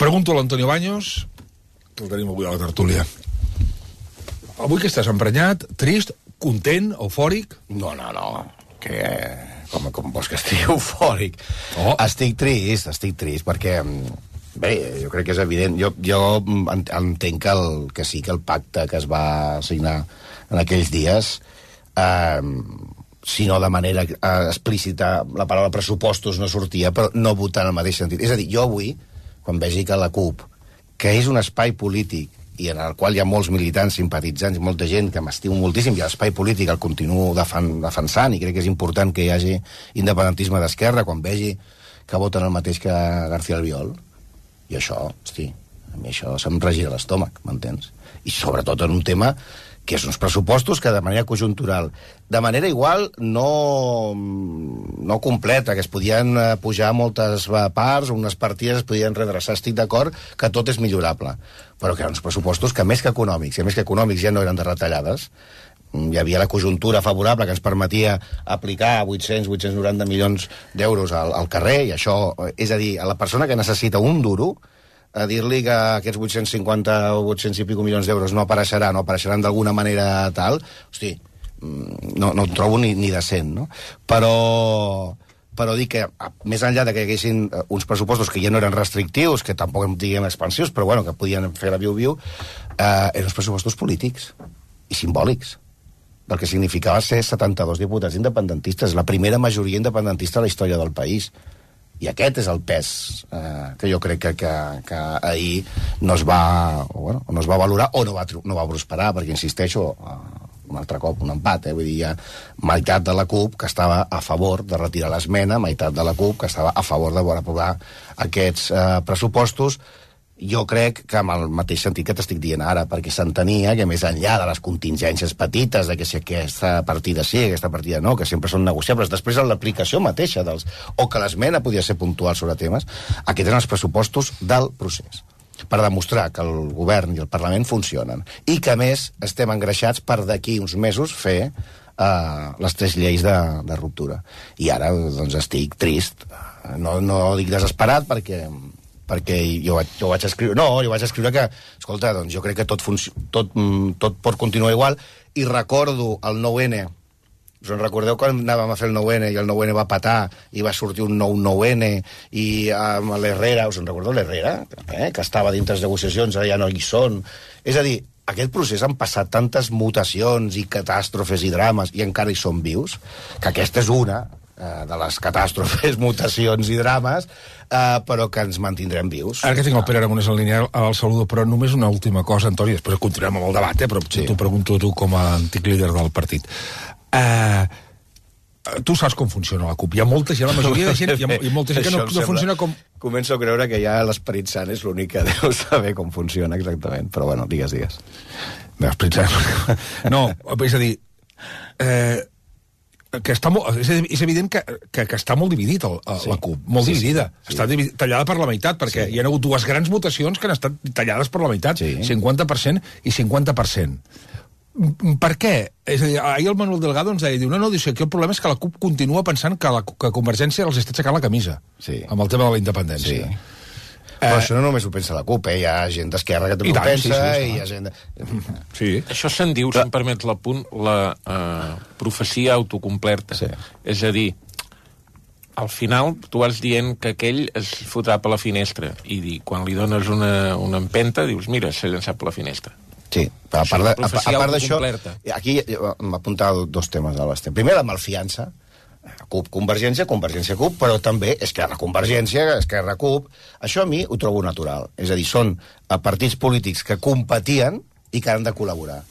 Pregunto a l'Antonio Baños, que el tenim avui a la tertúlia. Avui que estàs emprenyat, trist, content, eufòric? No. Com vols que estigui eufòric? Oh. Estic trist, perquè... Bé, jo crec que és evident. Jo entenc que sí que el pacte que es va signar en aquells dies, si no de manera explícita, la paraula pressupostos no sortia, però no votar en el mateix sentit. És a dir, jo avui, quan vegi que la CUP, que és un espai polític i en el qual hi ha molts militants, simpatitzants i molta gent que m'estimo moltíssim, i l'espai polític el continuo defensant, i crec que és important que hi hagi independentisme d'esquerra, quan vegi que voten el mateix que García Albiol, i això, hosti, a mi això se'm regira l'estómac, m'entens? I sobretot en un tema que és uns pressupostos que de manera conjuntural, de manera igual no completa, que es podien pujar moltes parts, unes partides es podien redreçar, estic d'acord que tot és millorable, però que eren uns pressupostos que més que econòmics, i a més que econòmics ja no eren de retallades, hi havia la conjuntura favorable que ens permetia aplicar 890 milions d'euros al carrer, i això, és a dir, a la persona que necessita un duro, a dir-li que aquests 850 o 800 i pico milions d'euros no apareixeran d'alguna manera tal, hosti, no ho trobo ni decent, no? Però dic que, més enllà de que hi haguessin uns pressupostos que ja no eren restrictius, que tampoc en diguem expansius, però bueno, que podien fer la viu-viu, eren uns pressupostos polítics i simbòlics, perquè significava ser 72 diputats independentistes, la primera majoria independentista de la història del país. I aquest és el pes que jo crec que ahir no es va valorar o no va prosperar, perquè insisteixo, un altre cop un empat, vull dir, hi ha meitat de la CUP que estava a favor de retirar l'esmena, meitat de la CUP que estava a favor de aprovar aquests pressupostos. Jo crec que amb el mateix sentit que t'estic dient ara, perquè s'entenia que més enllà de les contingències petites, de que si aquesta partida sí, aquesta partida no, que sempre són negociables, després en l'aplicació mateixa o que l'esmena podia ser puntual sobre temes, aquests eren els pressupostos del procés, per demostrar que el govern i el Parlament funcionen, i que a més estem engreixats per d'aquí uns mesos fer les 3 lleis de ruptura. I ara, doncs, estic trist. No dic desesperat, perquè jo vaig escriure que, escolta, doncs jo crec que tot pot continuar igual, i recordo el 9-N. Us en recordeu quan anàvem a fer el 9-N i el 9-N va patar i va sortir un nou 9-N i amb l'Herrera, us en recordeu l'Herrera? Que estava dintre les negociacions, ara ja no hi són. És a dir, aquest procés han passat tantes mutacions i catàstrofes i drames i encara hi són vius, que aquesta és una de les catàstrofes, mutacions i drames, però que ens mantindrem vius. Ara que tinc el Pere Aragonès en línia, el saludo, però només una última cosa, Antoni, després continuem amb el debat, però sí. T'ho pregunto a tu com a antic líder del partit. Tu saps com funciona la CUP. Hi ha molta gent, la majoria de gent, hi ha molta gent que no funciona com... Començo a creure que ja l'Esperit Sant és l'únic que deu saber com funciona exactament, però bueno, digues. No, Esperit Sant... No, és a dir... que està és evident que està molt dividit la CUP, molt dividida. Sí. Està tallada per la meitat, perquè hi ha hagut 2 grans votacions que han estat tallades per la meitat, 50% i 50%. Per què? És a dir, ahir el Manuel Delgado ens deia, no, diu, aquí el problema és que la CUP continua pensant que Convergència els està aixecant la camisa amb el tema de la independència. Però això no només ho pensa la CUP, hi ha gent d'esquerra que també ho pensa, i hi ha gent... Sí. Això se'n diu, si em permets l'apunt, la profecia autocomplerta. Sí. És a dir, al final tu vas dient que aquell es fotrà per la finestra, i quan li dones una empenta dius, mira, s'ha llançat per la finestra. Sí, a part d'això, aquí m'apuntava 2 temes a l'Estem. Primer, la malfiança, CUP, Convergència, CUP, però també Esquerra, Convergència, Esquerra, CUP. Això a mi ho trobo natural. És a dir, són partits polítics que competien i que han de col·laborar.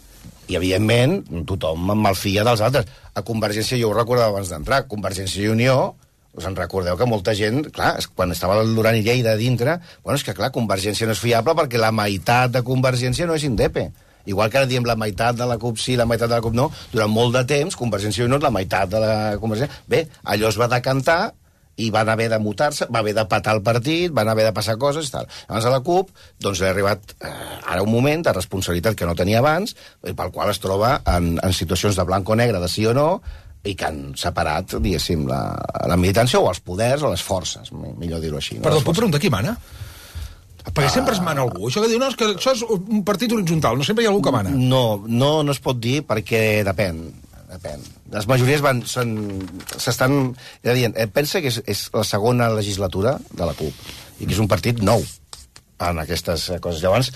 I, evidentment, tothom malfia dels altres. A Convergència, jo ho recordava abans d'entrar, Convergència i Unió, us en recordeu que molta gent, clar, quan estava el Duran i Lleida a dintre, és que, clar, Convergència no és fiable perquè la meitat de Convergència no és indepe. Igual que ara diem la meitat de la CUP sí, la meitat de la CUP no, durant molt de temps, Convergència i Unió, la meitat de la Convergència... Bé, allò es va decantar i van haver de mutar-se, va haver de patar el partit, van haver de passar coses i tal. Abans a la CUP, doncs li ha arribat ara un moment de responsabilitat que no tenia abans, pel qual es troba en situacions de blanc o negre, de sí o no, i que han separat, diguéssim, la militància o els poders o les forces, millor dir-ho així. Perdó, puc preguntar qui mana? Perquè sempre es mana algú. Això que diu, no, és que això és un partit horitzontal, no sempre hi ha algú que mana. No es pot dir perquè depèn. Les majories s'estan... Pensa que és la segona legislatura de la CUP i que és un partit nou en aquestes coses. Llavors,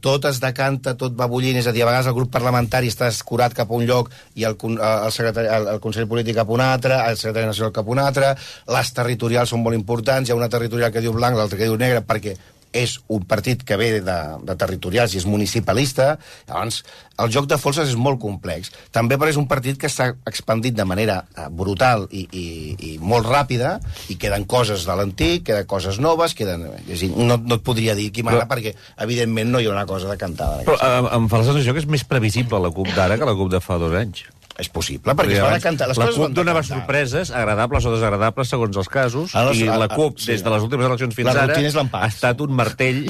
tot es decanta, tot va bullint, és a dir, a vegades el grup parlamentari està escurat cap a un lloc i el Consell Polític cap a un altre, el Secretari Nacional cap a un altre, les territorials són molt importants, hi ha una territorial que diu blanc, l'altra que diu negre, perquè és un partit que ve de territorials i és municipalista. Llavors, el joc de forces és molt complex. També perquè és un partit que s'ha expandit de manera brutal i molt ràpida, i queden coses de l'antic, queden coses noves, no et podria dir qui mana, perquè, evidentment, no hi ha una cosa decantada. Però em fa la sensació que és més previsible la CUP d'ara que la CUP de fa 2 anys. És possible, perquè es va decantar. La CUP donava sorpreses, agradables o desagradables, segons els casos, i la CUP, des de les últimes eleccions fins ara, ha estat un martell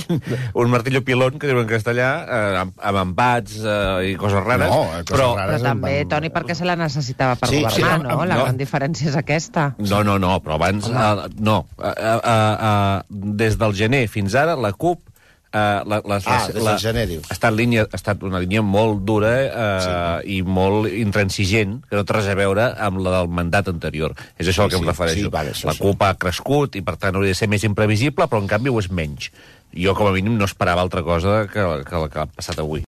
o pilón, que diuen en castellà, amb empats i coses rares. Però també, Toni, perquè se la necessitava per governar, no? La gran diferència és aquesta. No, però abans... No. Des del gener fins ara, la CUP des del gener, dius. Ha estat una línia molt dura i molt intransigent, que no té res a veure amb la del mandat anterior. És això al que em refereixo. La CUP ha crescut i, per tant, hauria de ser més imprevisible, però, en canvi, ho és menys. Jo, com a mínim, no esperava altra cosa que el que ha passat avui.